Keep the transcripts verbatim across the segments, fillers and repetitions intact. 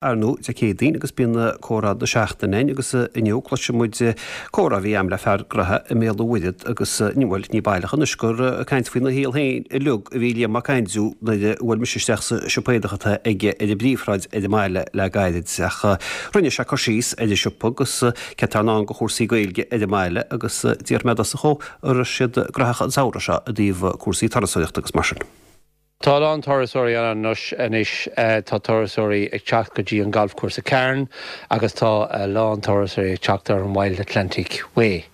Ar ndóigh, Dé Céadaoin agus bíonn comhrá na seachtaine againn agus inniu cloisfidh muid comhrá a bhí agam le fear gnoithe i mBéal an Mhuirthead agus ní bhuel, ní baileach anois gur ag caint faoina shaol féin uilig a bhí Liam Mac Aindriú nuair a bhuail mise isteach sa siopa éadach atá aige ar an bPríomhshráid ar an mbaile le gairid ach rinne sé cur síos ar an siopa agus céard atá i ndán do chúrsaí Gaeilge ar an mbaile agus d'iarr mé de sa chomh an raibh siad gnóthach an samhradh seo i dtaobh cúrsaí turasóireachta agus mar sin. Tá a lán turasóirí ann anois anois tá turasóirí ag teacht go dtí an galfchúrsa Carn agus tá a lán turasóirí ag teacht ar an Wild Atlantic Way.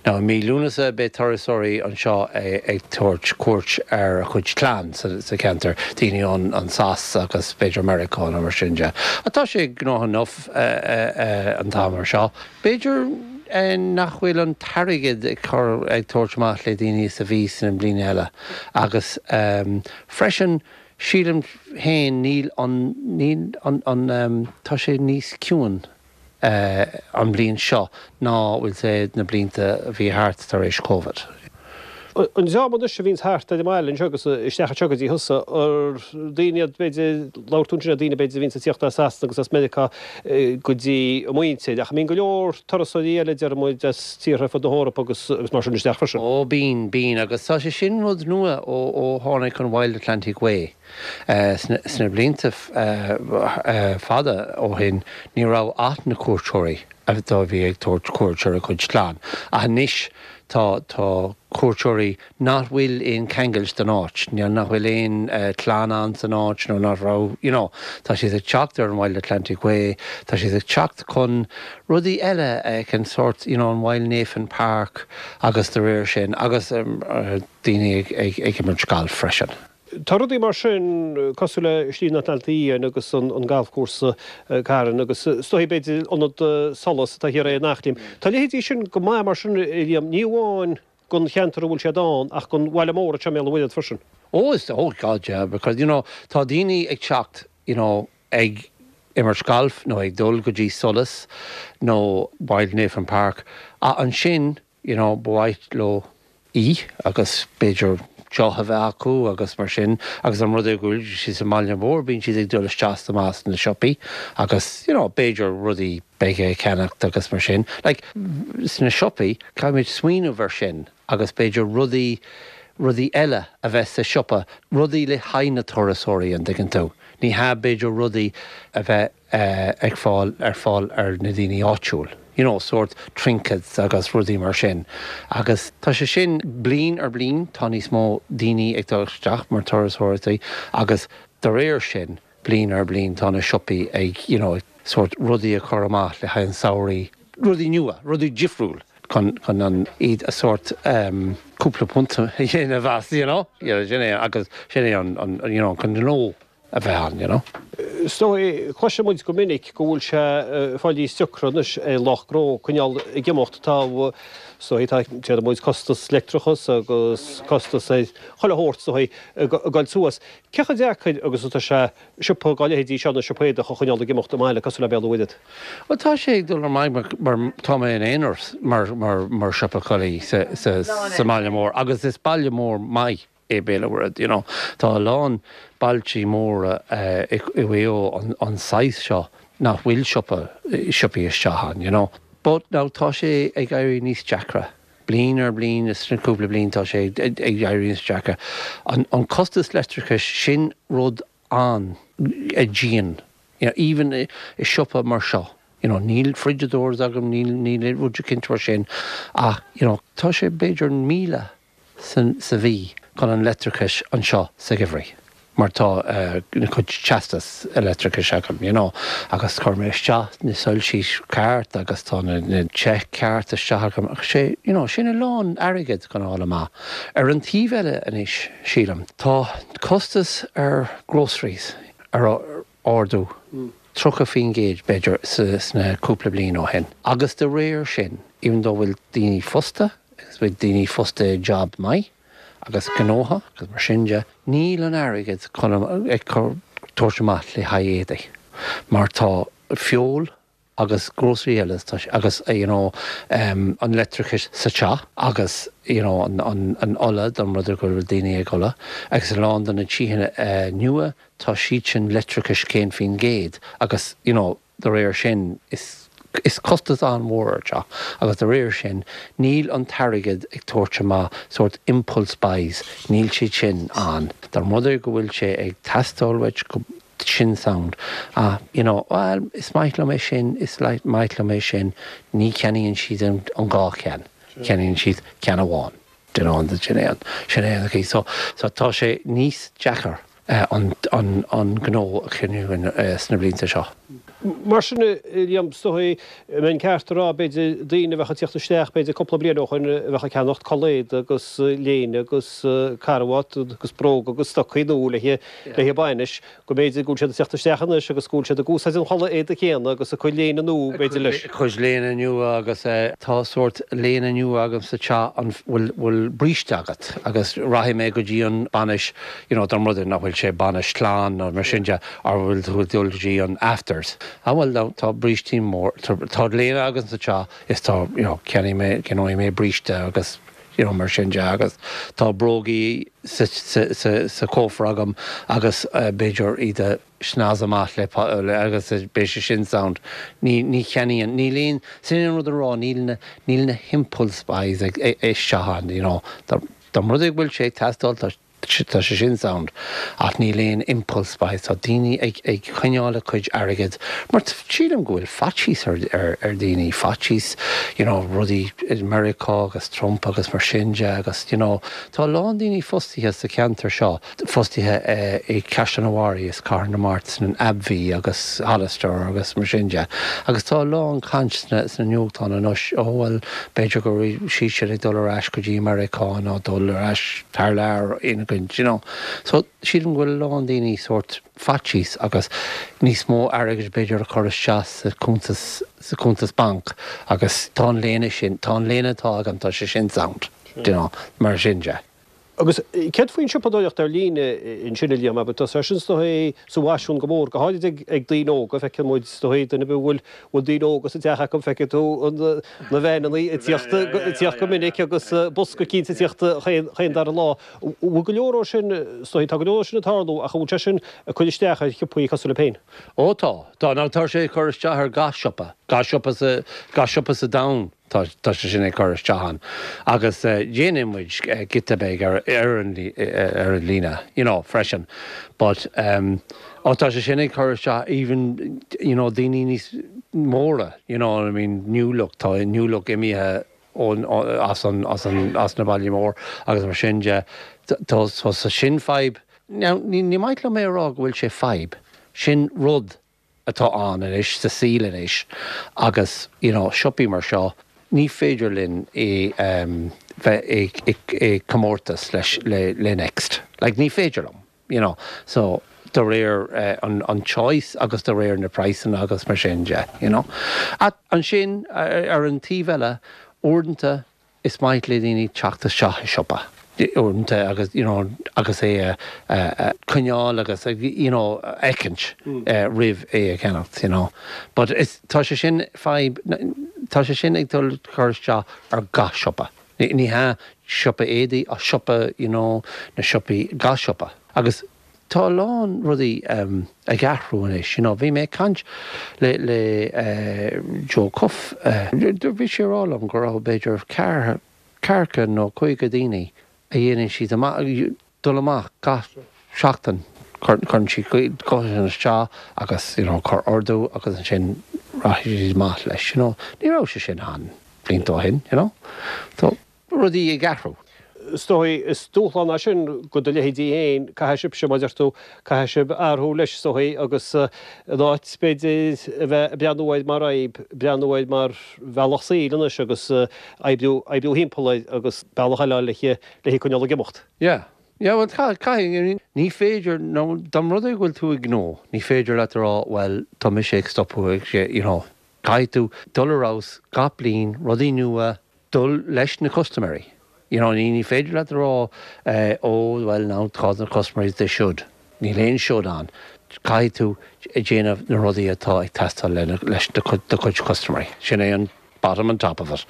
Now i mí Lúnasa beidh turasóirí anseo ag tabhairt cuairt ar a chuid clann sa, sa cheantar, daoine ón an S A agus b'fhéidir Meiriceá nó mar sin de. A tá sé gnóthach enough an t-am mar seo. B'fhéidir nach bhfuil an t-airgead ag cur ag tabhairt amach le daoine sa bhí san bliain eile agus um, freisin sílim féin níl an níl an, an um, tá sé níos ciúin uh, an bliain seo ná bhfuil sé na blianta a bhí thart tar éis Covid. An dream anois a bhíonns thart ar an mbaile anseo agus isteach anseo go dtí thusa ar daoine iad b'fhéidir labhair tú ansin ar daoine b'fhéidir a bhíonns ag tíocht as Sasana agus as Meiriceá go dtí a muintir ach mbíonn go leor turasóirí eile deir muid as tíortha fud na hEorpa agus agus mar sin isteach freisin. Ó bíonn bíonn agus tá sé sin rud nua ó ó tháinig an Wild Atlantic Way. Uh, sna, sna blianta uh, uh, fada ó shin ní raibh ach na cuairteoirí a bhí ag tabhairt cuairt ar a cuid clann. Ach anois tá tá cuairteoirí nach bhfuil aon cheangal den áit, ní nach bhfuil aon uh, clann ann san áit nó nach raibh you know, tá siad ag teacht ar an Wild Atlantic Way, tá siad ag teacht chun rudaí eile ag an sort you know, an Wild Nephin Park agus de réir sin agus um, uh, daoine ag, ag, ag imirt galf freisin. Tá rudaí mar sin cosúil le Slí an Atlantaigh Fhiáin agus an, an galfchúrsa Carn agus is dóigh b'fhéidir ionad Solas atá thiar in Eachléim. Tá leithéidí sin go maith mar sin Liam ní amháin don cheantar a bhfuil siad ann ach don bhaile mór seo Béal an Mhuirthead freisin. Oh, is oh God, yeah, because you know tá daoine ag teacht you know, ag imirt galf nó ag dul go dtí Solas nó Wild Nephin Park a ansin you know, ba mhaith leo í agus b'fhéidir deoch a bheith acu agus mar sin agus an rud é go bhfuil siad sa mbaile mór bíonn siad ag dul isteach amach na siopaí agus you know, b'fhéidir rudaí beaga a cheannacht agus mar sin. Like, sna siopaí caithfimid smaoineamh ar sin agus b'fhéidir rudaí rudaí eile a bheith sa siopa, rudaí le haghaidh na turasóirí an dtuigeann tú. Ní hea b'fhéidir rudaí a bheith uh, ag fáil ar fáil ar na daoine áitiúil. You know, sort trinkets agus rudaí mar sin. Agus tá sé sin bliain ar bliain tá níos mó daoine ag dul isteach mar turasóirí agus de réir sin bliain ar bliain tá na siopaí ag you know, sort rudaí a chur amach le haghaidh an samhradh, rudaí nua, rudaí difriúil chun chun an iad a sort um, cúpla punt a dhéanamh as, you know? You know, sin é agus sin é an, an, you know, chun gnó a bheith ann, you know? So cloiseann muid go minic go bhfuil sé fáil níos deacra anois é lucht gnó coinneáil ag imeacht tá so tá muid costas leictreachas agus costas é chuile shórt so ag dul suas. Cé chomh deacair agus atá sé siopa dá leithéidí seo na siopa éadaigh a choinneáil ag imeacht i mbaile cosúil le Béal an Mhuirthead. Well tá sé ag dul ar aghaidh mar, mar tá mé in aonar mar, mar, mar siopa culaith sa, sa, sa mbaile mór agus is baile mór maith é Béal an Mhuirthead, you know. Tá a lán bailte móra uh, i i an, an size seo nach bhfuil siopa siopaí isteach ann, you know. But now tá sé ag éirí níos deacra. Bliain ar bliain is na cúpla bliain tá sé ag éirí níos deacra. An, an costas leictreachais sin rud an a dian. You know, even i, i siopa mar seo. You know, níl fridge doors agam níl níl rud cinnte mar sin ach you know, tá sé b'fhéidir míle san, sa mhí chun an leictreachais anseo sa gheimhreadh. Mar tá uh, na cuid teastas leictreachais agam, you know, agus chuir mé isteach na soilsí ceart agus tá na, na teach ceart isteach agam ach sé you know, sin a lán airgead chun fháil amach. Ar an taobh eile anois sílim, tá costas ar groceries ar ardú. Mm. Tríocha faoin gcéad b'fhéidir sna cúpla bliain ó shin. Agus de réir sin, even though bhfuil daoine fostaithe, agus bhfuil daoine fostaithe job maith, agus gnóthach agus mar sin de, níl an airgead chun ag tabhairt amach le haghaidh éadaí. Mar tá feoil agus grocery eile agus you know, um, an leictreachas sa teach agus you know, an, an, an ola don rud go bhfuil daoine ag ola agus a lán de na tithe uh, nua tá siad sin leictreachas céad faoin gcéad agus you know, de réir sin is is costas an-mhór teach agus de réir sin níl an t-airgead ag tabhairt amach sort impulse buys níl siad sin ann. Dá rud go bhfuil sé ag teastáil go sin sound. Ah, you know, well, is maith liom é sin is maith liom é sin ní cheannaíonn siad an, an dhá cheann, ceannaíonn siad ceann amháin. an sin é sin é so so tá sé níos deacra uh, an, an, an gnó a choinneáil uh, sna blianta seo. Mar sin Liam is dóigh an ceart rá b'fhéidir daoine a bheith ag teacht isteach b'fhéidir cúpla bliain ó shin a bheith ag ceannacht culaith agus léine agus carbhat agus bróg agus stocaí nua le le bainis go mb'fhéidir go bhfuil siad ag teacht isteach anois agus go bhfuil siad ag úsáid an chulaith éadaí céanna agus a cuid léine nua b'fhéidir leis. Cuid léine nua agus tá sórt léine nua agam sa teach an bhfuil bhfuil bríste agat agus rachaidh mé go dtí an bainis you know, don rud nach bhfuil sé bainis clann nó mar sin de ar bhfuil bhfuil dul go dtí an afters. A bhfuil tá brístí mór tá léine agam sa teach is tá you know, ceannaigh mé ceannóidh mé bríste agus you know, mar sin de agus tá brógaí sa, sa, sa, sa cófra agam agus uh, b'fhéidir iad a snas amach le le agus beidh sé sin sound. Ní ní cheannaíonn níl aon sin an rud a rá níl na níl na impulse buys ag isteach you know, Dá rud go bhfuil sé teastáil tá tá sé sin sound ach níl aon impulse buys tá daoine ag ag coinneáil a cuid airgead mar sílim go bhfuil faitíos ar, ar, ar daoine faitíos you know, rudaí i Meiriceá agus Trump agus mar sin de agus you know, tá lán daoine fostaithe sa ceantar seo fostaithe eh, i Caisleán an Bharraigh is Cathair na Mart san AbbVie agus Hollister agus mar sin de agus tá lán caint sna sna nuachtáin anois ó bhfuil b'fhéidir go si siad ag dul ar ais go dtí Meiriceá nó dul ar ais thar lear in go you know. So sílim go bhfuil lán daoine sórt faitíos agus níos mó airgead b'fhéidir a chur isteach sa cuntas sa cuntas banc agus tá an léine sin tá an léine atá agam tá sé sin sound you know, mar sin de. Agus céard faoin siopadóireacht ar líne ansin a Liam, tá sé sin é sa bhfaisean go mór go háirid ag ag daoine óga feiceann muid é duine bhfuil bhfuil daoine óga sa teach acu feiceann tú na veaineanna ag teacht go minic agus bosca cinnte ag teacht chaon dara lá. Bhfuil go leor sin tá go leor sin ag tarlú ach bhfuil sé sin ag cur isteach ar shiopaí cosúil libh féin. Ó tá Tá ná tá sé cur isteach ar gach siopa, gach siopa sa gach siopa sa domhan. Tá tá sé sin ag cur isteach ann. Agus uh, déanann muid uh, giota beag ar ar an ar an líne, you know, freisin. But um, ó tá sé sin ag cur isteach even you know, daoine níos móra, you know, I mean, New Look tá New Look imithe ón as an as an as na baile mór agus mar sin de tá sa sin fadhb. Now, ní ní maith liom é rá go bhfuil sé fadhb. Sin rud atá ann anois sa saol anois agus you know, siopaí mar seo ní féidir linn é um, bheith ag comórtas leis le, le Next. Like, ní féidir liom, you know. So de réir uh, an, an choice agus de réir na praghsanna agus mar sin de, you know. At ansin ar, ar an taobh eile uaireanta is maith le daoine teacht isteach i siopa. Uaireanta agus you know, agus é uh, coinneáil agus you know, fheicint mm. uh, roimh é a cheannacht, you know. But is, tá sé sin fadhb tá sé sin ag dul cur isteach ar gach siopa. Ní, ní hea siopa éadaí a siopa you know, na siopaí gach siopa. Agus tá lán rudaí um, ag athrú anois, you know, bhí mé caint le le uh, Joe Cuff uh, bhí sé rá liom go raibh b'fhéidir ceathracha ceathracha nó caoga daoine a dhéanann siad dul amach gach seachtain chun si isteach agus you know, cur ordú agus ansin rachaidh siad amach leis you know. Ní raibh sé sin ann blianta ó shin, you know. So rudaí ag athrú. Is dóigh is dúshlán é sin go do leithéidí féin caithfidh sibh mar a deir tú caithfidh sibh athrú leis is dóigh agus in áit b'fhéidir a bheith breathnú air mar fhadhb breathnú air mar bhealach saoil anois agus oibriú oibriú thimpeall air agus bealach eile le le coinneáil ag imeacht. Yeah. Yeah, well caithfidh ní féidir nó dá rud é go bhfuil tú ag gnó, ní féidir leat rá well tá mise ag stopadh sé you know, caithfidh tú dul ar fheabhas gach bliain rudaí nua dul leis na custaiméirí. You know, ní ní féidir leat rá uh, ó well now tá na customers they should. Níl aon should ann. Caithfidh tú a déanamh na rudaí atá ag teastáil leis do chuid custaiméirí. Sin é an bottom and top of it.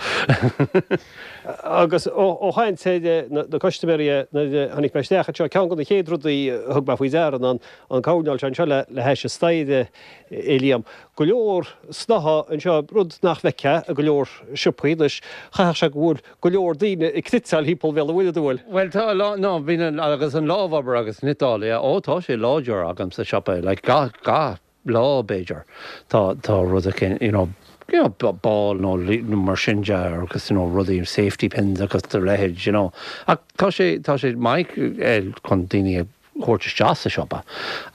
Agus ó chaint na custaiméirí nuair a tháinig mé isteach anseo, ceann de na chéad rudaí a thug mé faoi deara ná an coirnéal seo anseo le hais an staighre, a Liam. Go leor snáithe anseo, rud nach bhfeicfeá i go leor siopaí anois. Chaithfeadh sé go bhfuil go leor daoine ag cniotáil thimpeall Bhéal an Mhuirthead, an bhfuil? Bhuel tá a lán, no, bíonn agus an lámhobair agus cniotáil, yeah, ó tá sé láidir agam sa siopa, like gach, gach lá b'fhéidir tá, tá rud éicint, you know, you know, ball nó mar sin de agus you know, rudaí safety pins agus a leithéid, you know. Ach tá sé, tá sé maith chun daoine a thabhairt isteach sa siopa.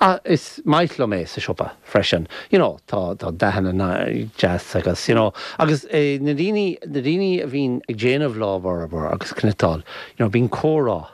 Ach is maith liom é sa siopa freisin. You know, tá, tá dathanna deas agus, you know, agus eh, na daoine, na daoine a bhíonn ag déanamh lámhobair agus cniotáil, you know, bíonn comhrá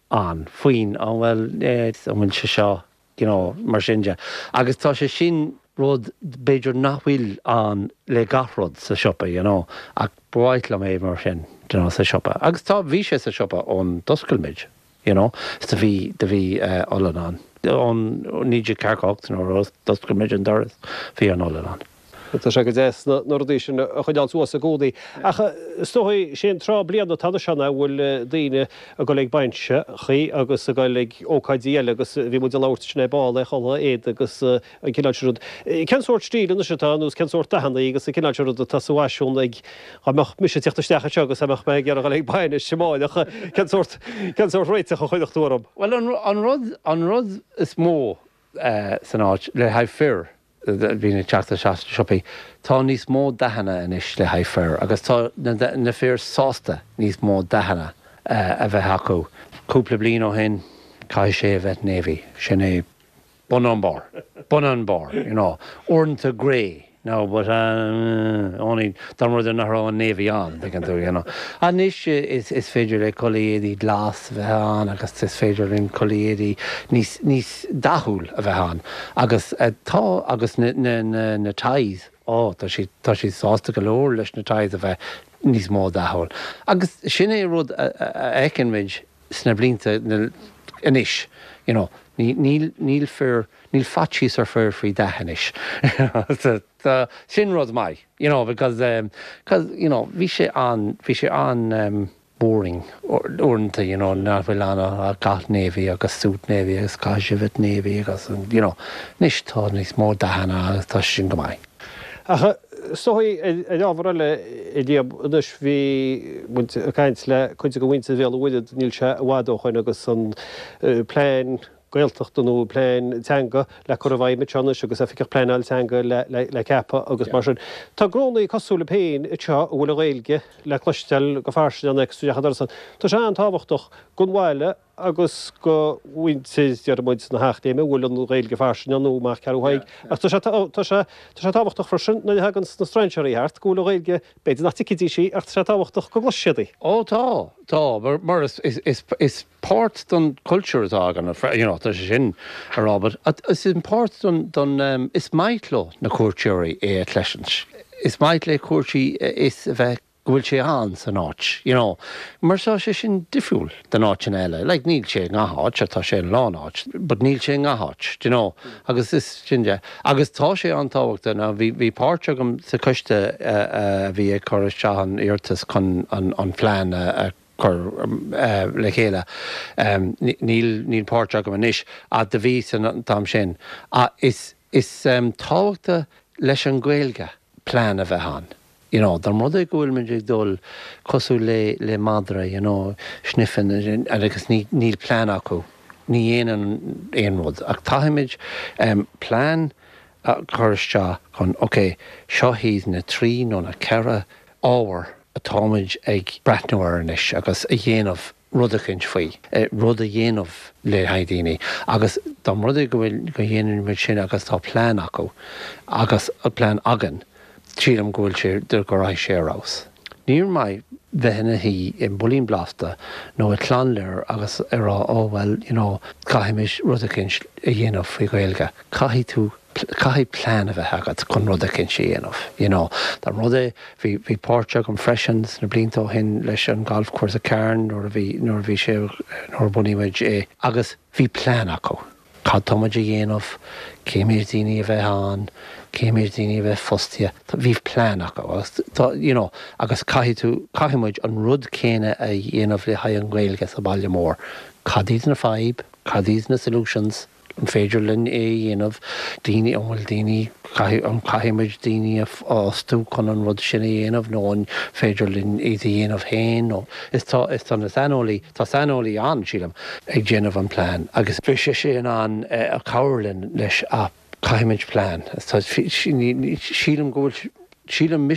ann faoin, oh well, eh, an bhfuil sé seo, you know, mar sin de. Agus tá sé sin rud b'fhéidir nach bhfuil ann le gach rud sa siopa, you know, ach ba mhaith liom é mar sin, you know, sa siopa. Agus tá, bhí sé sa siopa ón d'oscail muid, you know, is do bhí, do bhí uh, olann ann. Ón naoi déag ceathracha ocht nuair a d'oscail muid an doras, bhí an olann ann. Tá sé go deas na rudaí sin a choinneáil suas i gcónaí. Ach is dóigh sé an tráth bliana atá anseo ná bhfuil daoine ag dul ag bainiseachaí agus ag dul ag ócáidí eile agus bhí muid ag labhairt sin ar ball é chulaith éad agus an cineál sin rud. Cén sórt stíl anois atá nó cén sórt dathanna agus an cineál sin rud atá sa bhfaisiún ag dá mbeadh mise ag teacht isteach anseo agus dá mbeadh mé ag iarraidh dul ag bainis amárach cén sórt cén sórt réiteach a chuirfeadh tú orm? Well an, an rud an rud is mó uh, san áit le haghaidh fir bhíonn ag teacht isteach sna siopaí. Tá níos mó dathanna anois le haghaidh fir agus tá na, na fir sásta níos mó dathanna uh, a bheith acu. Cúpla bliain ó shin caithfidh sé a bheith navy, sin é bun an bar, bun an bar, you know, uaireanta grey. No, but uh, only dá rud nach raibh an navy ann, tuigeann tú, you know. Anois is, is féidir le culaith éadaí glas a bheith ann agus is féidir linn culaith éadaí níos, níos dathúil a bheith ann. Agus uh, tá agus na, na, na, na ties, ó, tá sí, tá sí sásta go leor leis na ties a bheith níos mó dathúil. Agus sin é rud a, a, a fheiceann muid sna blianta anois, you know, ní, níl, níl fir, níl faitíos ar fir faoi dath anois. So, sin rud maith, you know, because, um, cause, you know, bhí sé an, bhí sé an um, boring uaireanta, you know, nach bhfuil an gach navy agus suit navy agus caithfidh sé bheith navy agus, you know, anois tá níos mó dathanna agus tá sin go maith. Ach so ar ábhar eile a Liam anois bhí muid ag caint le cuid de mhuintir Bhéal an Mhuirthead níl sé i bhfad ó shoin agus an plean Gaeltachta nó plean teanga le cur i bhfeidhm anseo anois agus oifigeach pleanáil teanga le, le, le ceapadh agus mar sin. Tá gnónna cosúil libh féin anseo a bhfuil an Ghaeilge le cloisteáil go fairsing ann agus Tá sé an-tábhachtach don bhaile agus do mhuintir deir muid na hEachléime bhfuil an Ghaeilge fairsing nó amach ceathrú Thaidhg. Ach tá sé tá sé tá sé tábhachtach freisin nuair a thagann na strainséirí thart go bhfuil an Ghaeilge b'fhéidir nach dtuigfidís í ach tá sé tábhachtach go gcloisfidh siad í. Ó tá tá mar, mar is, is, is, is páirt don culture atá againn you know, tá sé sin a rá, but is an páirt don, don um, is maith leo na cuairteoirí é a chloisint. Is maith le cuairteoirí is a bheith go bhfuil sé ann san áit, you know. Mar tá sé sin difriúil den áit eile, like níl sé gach áit tá sé an lán áit, but níl sé gach áit, you know. agus is sin de. Agus tá sé an-tábhachtach ná bhí bhí páirt agam sa choiste a bhí ag cur isteach an iarratas chun an, an plean a, a chur uh, le chéile. Um, níl níl páirt agam anois a do bhí san t-am sin. A is is um, tábhachtach leis an Ghaeilge plean a bheith ann. You know, dá rud é go bhfuil muid ag dul cosúil le le madra, you know, sniffing agus ní, níl plean acu. Ní dhéanann aon rud ach caithfimid um, plean a chur isteach chun ok, seo hiad na trí nó na ceithre ábhar atáimid ag breathnú air anois agus a dhéanamh rud éicint faoi, rud a dhéanamh le haghaidh daoine agus dá rud é go bhfuil go dhéanann muid sin agus tá plean acu agus a plean againn sílim go bhfuil sé go raibh sé arás. Níor maith bheith ina shuí i mBuilín Blasta nó i Clonlear agus ar rá ó well you know, caithfimid rud éicint a dhéanamh faoi Ghaeilge. Caithfidh tú caithfidh plean a bheith agat chun rud éicint a dhéanamh. You know, Dá rud é bhí bhí páirt agam freisin sna blianta ó shin leis an golf course a Carn nuair a bhí nuair a bhí sé nuair a bunaíodh é agus bhí plean acu. Cad tá muid a dhéanamh, cé méid daoine a bheith ann, cé méid daoine a bheith fostaithe, bhí plean acu agus tá you know agus caithfidh tú, caithfidh muid an rud céanna a dhéanamh le haghaidh an Ghaeilge sa bhaile mór. Cad iad na fadhb, cad iad na solutions, an féidir linn é a dhéanamh, daoine, an bhfuil daoine, caithfidh, an caithfidh muid daoine a fhostú chun an rud sin a dhéanamh nó an féidir linn iad a dhéanamh féin nó is tá, is tá na saineolaí, tá saineolaí ann, sílim, ag déanamh an plean agus bheadh sé in ann cabhrú linn leis ach caithfimid plean. Sílim go bhfuil, sílim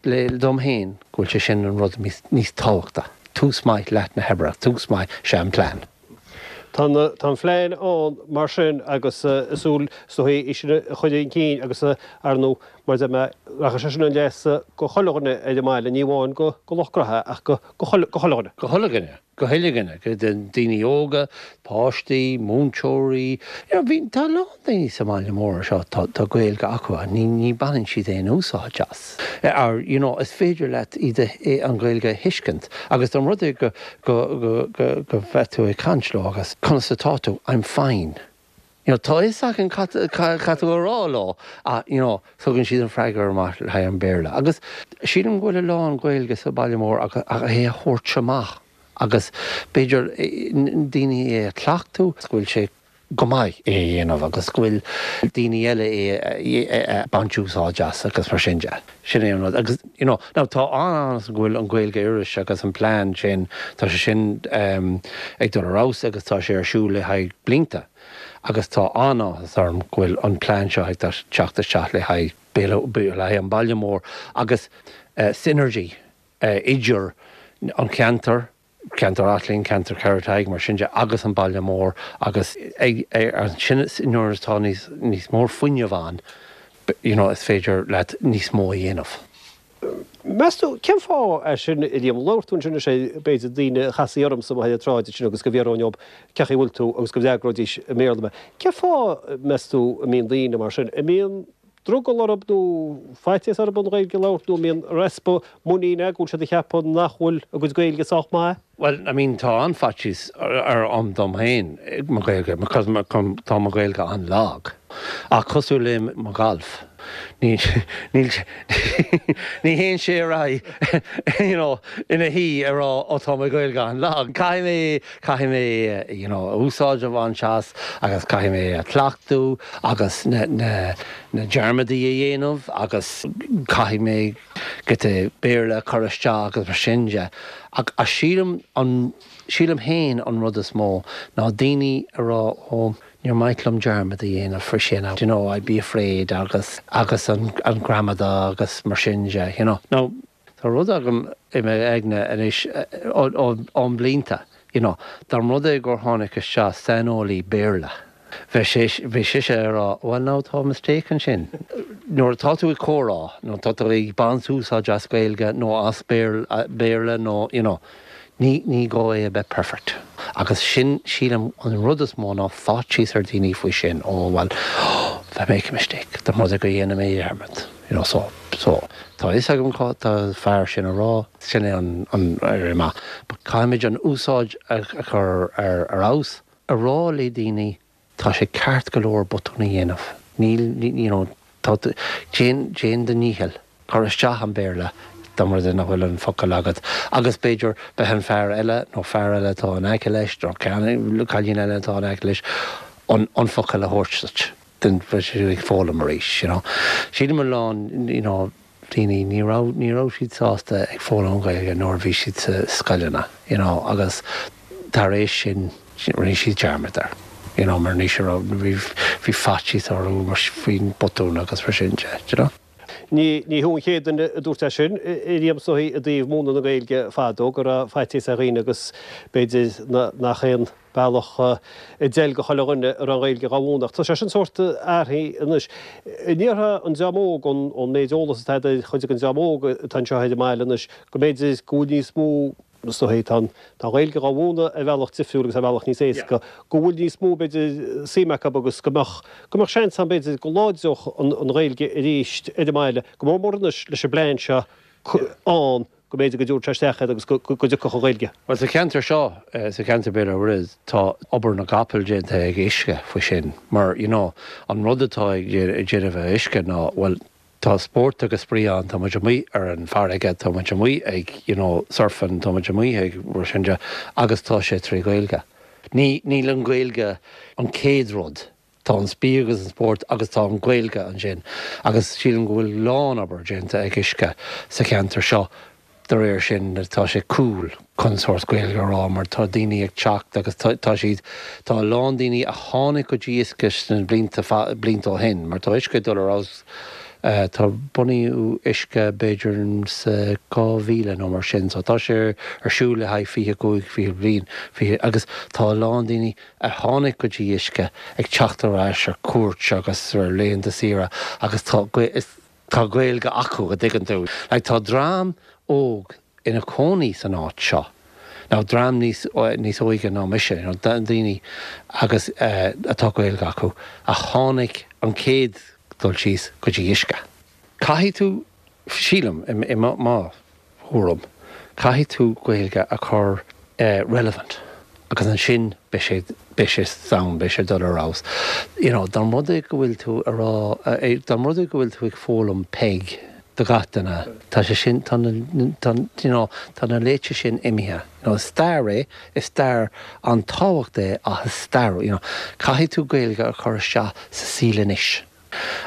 le dom féin go bhfuil sé sin an rud níos tábhachta. Tús maith leath na hoibre, tús maith sé an plean. Tá an phlean ann mar sin agus súil is dóigh é sin a chur chun cinn agus ar ndóigh mar a deir mé rachaidh sé sin chun leasa go chuile dhuine ar an mbaile, ní amháin go lucht gnoithe ach go chuile dhuine. Go chuile dhuine. Go huile dhuine, go daoine óga, páistí, múinteoirí, you know bhí, tá a lán daoine sa mbaile mór seo, tá, tá Gaeilge acu ach ní, ní baineann siad aon úsáid as. Or, you know, is féidir leat iad a, an Ghaeilge a thuiscint agus dá mba rud é go, go, go, go, go mbeadh tú ag caint leo agus conas atá tú? I'm fine. You know, tá fhios acu cad, cad tá tú a rá leo ach, you know, tugann siad an freagra amach le haghaidh an Béarla. Agus sílim go bhfuil a lán Gaeilge sa baile mór ach, ach é a thabhairt amach agus b'fhéidir daoine é a chleachtadh, go bhfuil sé go maith é a dhéanamh agus go bhfuil daoine eile é a baint úsáid as agus mar sin de. Sin é an rud. Agus, you know, now tá an-áthas go bhfuil an Ghaeilge Iris agus an plean sin, tá sé sin ag dul ar fheabhas agus tá sé ar siúl le haghaidh blianta agus tá an-áthas orm go bhfuil an plean seo ag teacht isteach le haghaidh le haghaidh an baile mór agus synergy idir an ceantar, ceantar Atlin, ceantar Carraig, mar sin de agus an baile mór agus ag ansin nuair atá níos níos mó fuinneamh ann, you know, is féidir leat níos mó a dhéanamh. Meas tú, cén fáth é sin, a Liam? Labhair tú ansin anois b'fhéidir daoine a chasfaí ormsa amuigh ar an tsráid ansin agus go bhfiafróinn dhóibh cén chaoi a bhfuil tú agus go bhfreagróidís i mBéarla mé. Cén fáth, meas tú, a mbíonn daoine mar sin? An mbíonn drogall orthu nó faitíos orthu an Ghaeilge a labhairt nó an mbíonn easpa muiníne go bhfuil siad ag ceapadh nach bhfuil a gcuid Gaeilge sách maith? Well, I mean, tá an-fhaitíos orm dom féin mo Ghaeilge because tá mo Ghaeilge an-lag. Ach cosúil le mo ghalf, ní ní ní théann sé ar aghaidh you know, ina shuí ag rá ó tá mo Ghaeilge an-lag. Caithfidh mé caithfidh mé you know, úsáid a bhaint as agus caithfidh mé a chleachtadh agus na, na, na dearmadaí a dhéanamh agus caithfidh mé giota Béarla a chur isteach agus mar sin de. Ach a sílim an sílim féin an rud is mó ná daoine a rá ó níor mhaith liom dearmad a dhéanamh faoi sin, you know, I'd be afraid agus agus an, an gramadach agus mar sin de, you know. Now, tá rud agam i m'aigne anois ón blianta, you know, dá mba rud é gur tháinig isteach saineolaí Béarla. Bheadh sé bhí sise ag rá, well now tá mistake ansin. Nuair atá tú ag comhrá, nó tá tú ag baint úsáid as Gaeilge nó as Béarla nó, you know, ní ní gá é a bheith perfect. Agus sin sílim an rud is mó ná faitíos ar daoine faoi sin ó well if I make a mistake, dá mba rud é go dhéanfaidh mé dearmad. You know, so, so, tá fhios agam cad tá fear sin a rá, sin é an, an ar maith. But caithfimid an úsáid a chur ar ar fheabhas, a rá le daoine tá sé ceart go leor botún a dhéanamh. Níl, you know, tá déan déan do dhícheall, cur isteach an Béarla dá mba rud é nach bhfuil an focal agat. Agus b'fhéidir beidh an fear eile nó fear eile atá in aice leis nó cailín eile atá in aice leis an, an focal a thabhairt duit. Den ag foghlaim arís, you know. Sílim a lán, you know, daoine ní raibh ní raibh siad sásta ag foghlaim Gaeilge nuair a bhí siad sa scoileanna, you know, agus tar éis sin rinne siad dearmad air. You know, mar ní raibh bhí bhí faitíos orthu mar faoin botún agus mar sin de, you know. Ní ní thú an chéad duine a dúirt é sin a Liam is dóigh i dtaobh múineadh na Gaeilge fadó go raibh faitíos ar dhaoine agus b'fhéidir nach aon bealach a d'fheil go chuile dhuine a raibh an Ghaeilge dhá mhúineadh. Ach tá sé sin sórt athraithe anois. An ndéarfá an dream óg ón méid eolas atá agat ar chuid den dream óg atá anseo ar an mbaile anois go mb'fhéidir go bhfuil níos mó Is dóigh, tá an Ghaeilge dhá mhúineadh ar bhealach difriúil agus ar bhealach níos éasca, go bhfuil níos mó, b'fhéidir, suim acu agus go mbeadh, go mbeadh seans ann, b'fhéidir, go láidreodh an Ghaeilge arís ar an mbaile, go mór mór anois leis an bplean seo ann, go mb'fhéidir go dtabharfadh sé isteach iad agus go dtiocfadh an Ghaeilge. Bhuel, sa cheantar seo, sa cheantar Béal Átha Mhuirthead, tá obair na gcapall déanta ag Uisce faoi sin mar, you know, an rud atá ag déanamh ag Uisce ná, bhuel, tá spórt agus spraoi ann, tá muid amuigh ar an bhfarraige, tá muid amuigh ag, you know, surfing, tá muid amuigh ag mar sin de agus tá sé trí Ghaeilge. Ní, níl an Ghaeilge an chéad rud. Tá an spraoi agus an spórt agus tá an Ghaeilge ansin agus sílim go bhfuil lán-obair déanta ag Uisce sa cheantar seo de réir sin tá sé cool chun sórt Gaeilge a rá mar tá daoine ag teacht agus tá tá siad tá a lán daoine a tháinig go dtí Uisce sna blianta blianta ó shin mar tá Uisce ag dul ar fheabhas tá bunaíodh Uisce b'fhéidir sa dhá mhíle nó mar sin so tá sé ar siúl le haghaidh fiche cúig fiche bliain fiche agus tá a lán daoine a tháinig go dtí Uisce ag teacht ar ais ar cuairt agus ar laethanta saoire agus tá tá Gaeilge acu a dtuigeann tú. Like tá dream óg ina cónaí san áit seo. Now dream níos níos óige ná mise, you know, daoine agus uh, atá Gaeilge acu a tháinig an chéad dul síos go dtí Uisce. Caithfidh tú sílim i, i mo thuairim, caithfidh tú Gaeilge a chur uh, relevant. Agus ansin beidh sé beidh sé sound, beidh sé dul ar fheabhas. You know, dá mba rud é go bhfuil tú a rá dá mba rud é go bhfuil tú ag foghlaim Peig do gach duine tá sé sin tá tá you know, tá na laethe sin imithe. You know, stair é is stair an-tábhachtach é ach is stair, you know, caithfidh tú Gaeilge a chur isteach sa saol anois.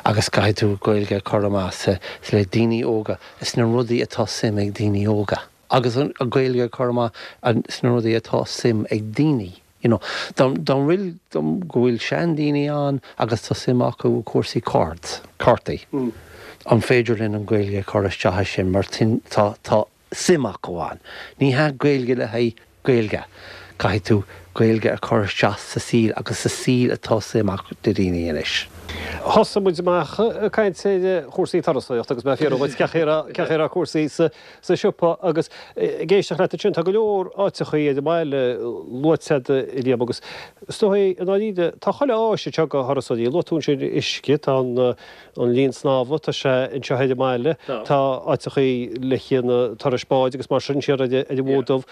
Agus caithfidh tú Gaeilge a chur amach sa le daoine óga is na rudaí atá suim ag daoine óga. Agus an Ghaeilge a chur amach sna rudaí atá suim ag daoine. You know, dá bhfuil go bhfuil seandaoine ann agus tá suim acu cúrsaí cards, cártaí. Mm. An féidir linn an Ghaeilge a chur isteach sin mar tá tá suim acu ann. Ní hea Gaeilge le haghaidh Gaeilge. Caithfidh tú Gaeilge a chur isteach sa saol agus sa saol atá suim acu do daoine anois. Thosaigh muid amach ag caint ar chúrsaí turasóireachta agus mé fiafraí díot cén chaoi a raibh cúrsaí sa sa siopa agus ag éisteacht leat ansin tá go leor áiteachaí ar an mbaile luaite agat a Liam agus is dóigh i ndáiríre tá chuile áis anseo do thurasóirí luaigh tú ansin uisce tá an an linn snámha tá sé anseo ar an mbaile tá áiteachaí le haghaidh na turais báid agus mar sin siar ar an bhFód Dubh.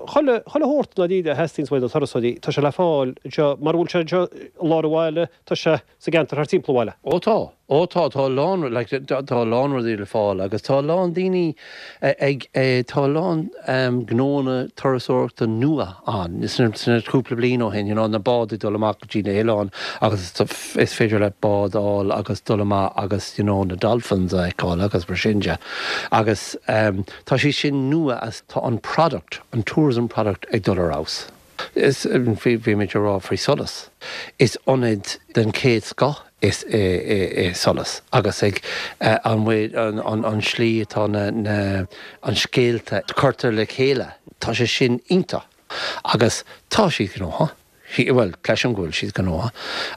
Chuile chuile shórt i ndáiríre a theastaíonns uaidh na turasóirí tá sé le fáil anseo mar a bhfuil sé anseo i lár an bhaile tá sé sa gceantar thart timpeall an bhaile. Ó tá, ó tá tá lán like, tá tá lán rudaí le fáil agus tá lán daoine ag tá lán um, gnónna turasóireachta nua ann sna sna cúpla bliain ó shin, you know, na báid ag dul amach go dtí na hoileáin agus is féidir le bád a fháil agus dul amach agus you know, na dolphins a fheiceáil agus mar sin de. Agus um, tá sé sin nua as tá an product, an tourism product ag dul ar fheabhas. Is bhí bhí muid ag rá faoi Solas. Is ionad den chéad scoth is é, é, é Solas agus ag an an, an, an slí atá na, na, an scéalta curtha le chéile. Tá sé sin iontach agus tá siad gnóthach. Well, cloisim go bhfuil siad gnóthach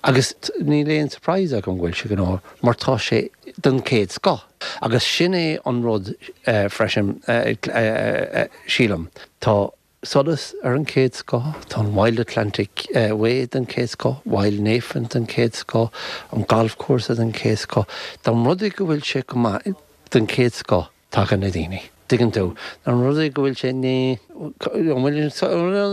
agus níl aon surprise agam go bhfuil sé gnóthach mar tá sé den chéad scoth. Agus sin é an rud uh, freisin uh, uh, uh, sílim. Tá Solas ar an chéad scoth, tá an Wild Atlantic uh, Way den chéad scoth, Wild Nephin den chéad scoth, an golfcúrsa den chéad scoth. Dá mba rud é go bhfuil sé go maith den chéad scoth tagann na daoine. Tuigeann tú an rud é go bhfuil sé ní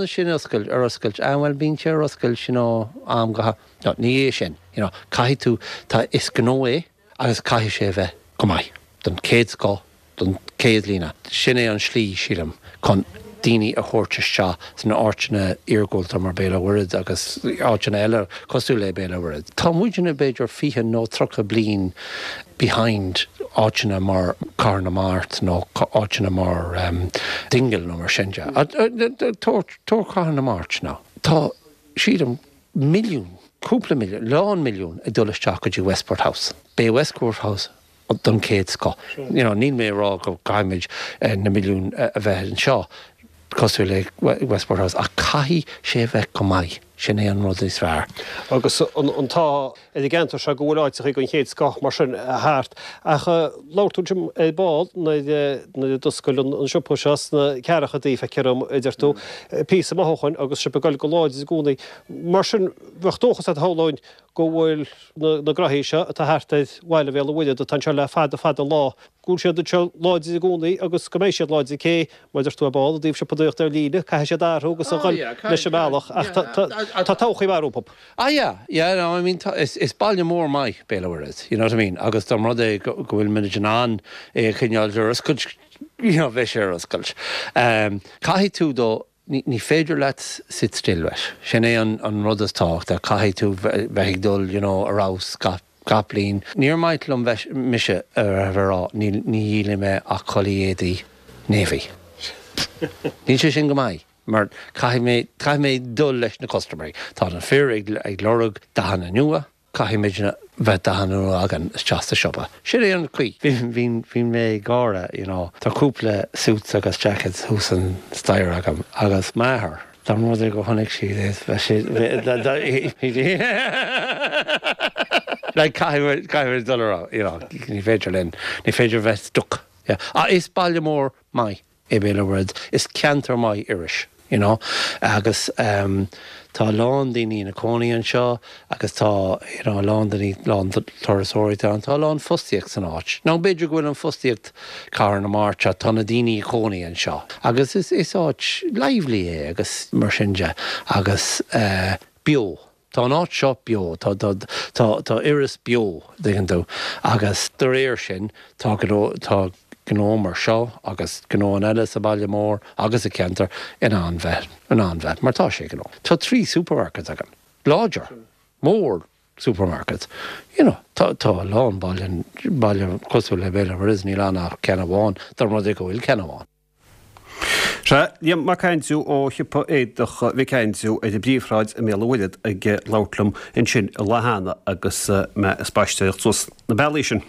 sin oscailte ar oscailt an bhfuil bíonn sé ar oscailt sin ó am go no, ní é sin you know, caithfidh tú tá is gnó é agus caithfidh sé bheith go maith den chéad scoth don chéad líne. Sin é an slí sílim chun daoine a thabhairt isteach sna áiteanna iargúlta mar Béal Átha Mhuirthead agus áiteanna eile cosúil le Béal Átha Mhuirthead. Tá muidne b'fhéidir fiche nó tríocha bliain behind áiteanna mar Cathair na Mart nó áiteanna mar um, Dingle nó mar sin de. Tóir Cathair na Mart ná. Tá sílim milliún, cúpla milliún, lán milliún ag dul isteach go dtí Westport House. B'é Westport House don chéad scoth. You know, níl mé rá go gcaithfimid eh, na milliún eh, a bheith anseo cosúil le Westport House ach caithfidh sé bheith go maith sin é an rud is fearr. Agus an tá i gceantar seo go bhfuil áiteacha den chéad scoth mar sin thart ach labhair tú Jim ar ball nuair a d'oscail an siopa seo sna ceathrachaidí feictear dom a deir tú píosa maith ó shin agus sibh ag dul go láidir i gcónaí. Mar sin bheadh dóchas agat a shamhlóinn go bhfuil na gnóthaí seo atá thart ar bhaile Bhéal an Mhuirthead atá anseo le fada fada an lá, go bhfuil siad anseo láidir i gcónaí agus go mbeidh siad láidir cé, mar a deir tú ar ball, i dtaobh siopadóireacht ar líne, caithfidh siad athrú agus a dhul leis an mbealach ach tá todhchaí mhaith rompu. Ah yeah, yeah, no, I mean, is is baile mór maith Béal an Mhuirthead, you know what I mean, agus dá mba rud é go bhfuil muid in ann é a choinneáil ar oscailt, you know, bheadh sé ar oscailt. Caithfidh tú do Ní féidir leat sit still leis. Sin é an rud is tábhachtaí, caithfidh tú bheith ag dul you know ar fheabhas gach gach bliain. Níor mhaith liom bheith mise a bheith ag rá ní ní dhíolfaidh mé ach culaith éadaí navy. Níl sé sin go maith mar caithfidh mé caithfidh mé dul leis na custaiméirí. Tá na fir ag ag lorg dathanna nua, caithfidh muidne bheith dathanna nua againn isteach sa siopa. Sin é an chaoi. Bhí bhí mé ag gáire, you know, tá cúpla suits agus jackets thuas an staighre agam agus m'athair, dá mba rud é go chonaic siad é, bheadh sé like caithfidh caithfidh muid dul ar you know, ní féidir linn, ní féidir bheith stuck. Yeah. Ah, is baile mór maith é Béal an Mhuirthead, is ceantar maith Iorrais, you know, agus ehm tá a lán daoine ina cónaí anseo agus tá you know a lán daoine, lán turasóirí ann, tá a lán fostaíocht san áit. Now b'fhéidir go bhfuil an fostaíocht Cathair na Mart, tá na daoine i gcónaí anseo agus is is áit lively é agus mar sin de agus eh beo. Tá an áit seo beo, tá tá tá tá Iorras beo, dtuigeann tú, agus de réir sin tá gnó tá gnó mar seo agus gnóanna eile sa baile mór agus sa cheantar in ann bheith in ann bheith mar tá sé gnó. Tá trí supermarkets againn, láidir, mór supermarkets. You know, tá tá a lán baile baile cosúil le Béal an Mhuirthead níl ann ach ceann amháin, dá mba rud é go bhfuil ceann amháin. Sea, Liam Mac Aindriú ó shiopa éadach Mhic Aindriú ar an bPríomhshráid i mBéal an Mhuirthead ag labhairt liom ansin an lá cheana agus mé ag spaisteoireacht suas na bealaí sin.